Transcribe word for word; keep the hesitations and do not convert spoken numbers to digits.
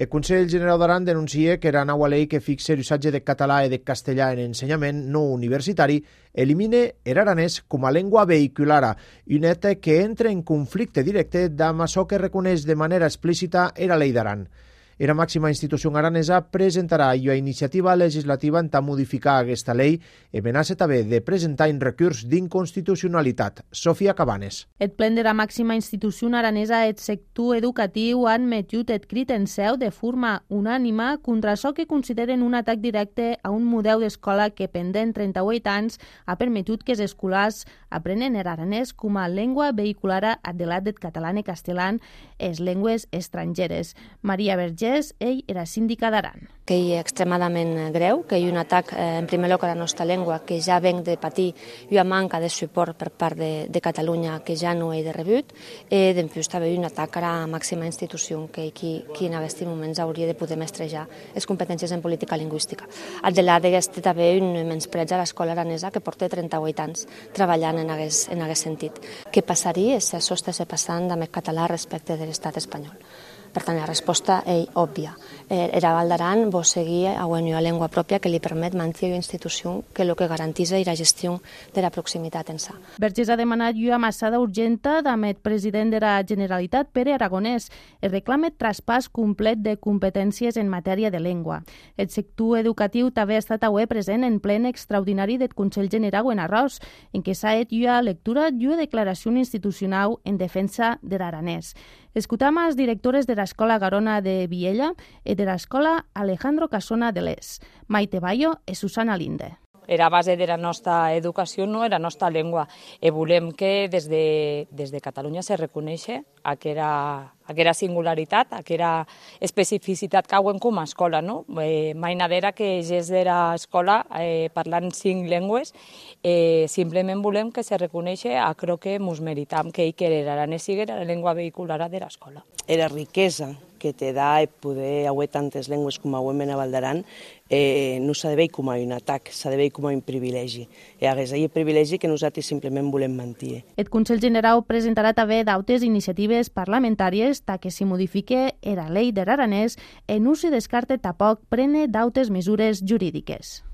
El Consell Generau d'Aran denuncia que la nova llei que fixa l'usatge de català i de castellà en ensenyament no universitari elimine l'aranès com a llengua vehiculara, un fet que entra en conflicte directe amb això que reconeix de manera explícita la llei d'Aran. La màxima institució aranesa presentarà una iniciativa legislativa per modificar aquesta llei i amenaça també de presentar un recurs d'inconstitucionalitat. Sofia Cabanes. El plen de la màxima institució aranesa et sector educatiu han metut et crit en seu de forma unànima contra això que consideren un atac directe a un model d'escola que pendent trenta-vuit anys ha permetut que els escolars aprenen l'aranès com a llengua vehiculara adelat del català i castellà, les llengües estrangeres. Maria Vergés, ell era síndica d'Aran. Que hi és extremadament greu, que hi ha un atac eh, en primer lloc a la nostra llengua que ja venc de patir una manca de suport per part de, de Catalunya que ja no he de rebut, i després també un atac a la màxima institució que qui, qui en aquests moments hauria de poder mestrejar les competències en política lingüística. Adelat d'aquest també un menyspreig a l'escola aranesa que porta trenta-vuit anys treballant en aquest, en aquest sentit. Què passaria si això estàs passant amb el català respecte de l'estat espanyol? Per tant, la resposta és òbvia. Era Val d'Aran vol seguir a una llengua pròpia que li permet mantenir una institució que el que garanteix és la gestió de la proximitat en sa. Vergés ha demanat una massada urgenta amb el president de la Generalitat, Pere Aragonès. Es reclama traspàs complet de competències en matèria de llengua. El sector educatiu també ha estat avui present en plen extraordinari del Consell Generau en Arròs, en què s'ha fet una lectura i una declaració institucional en defensa de l'aranès. Escoltam a les directores de l'Escola Garona de Viella i de l'Escola Alejandro Casona de l'Es, Maite Bayo i Susana Linde. Era base de la nostra educació, no era la nostra llengua. I volem que des de, des de Catalunya se reconeixi aquella, aquella singularitat, aquella especificitat que hauen com a escola. No? Eh, mai nadera que és de l'escola eh, parlant cinc llengües, eh, simplement volem que se reconeixi aquello que ens meritam, que l'aranès sigui la llengua vehicular de l'escola. Era riquesa que te da poder haver tantes llengües com avui a Val d'Aran, eh, no s'ha de veure com a un atac, s'ha de veure com a un privilegi. I és aquest privilegi que nosaltres simplement volem mantenir. El Consell Generau presentarà també d'altres iniciatives parlamentàries ta que s'hi modifique la llei de l'aranès i no s'hi descarta tampoc prene d'altres mesures jurídiques.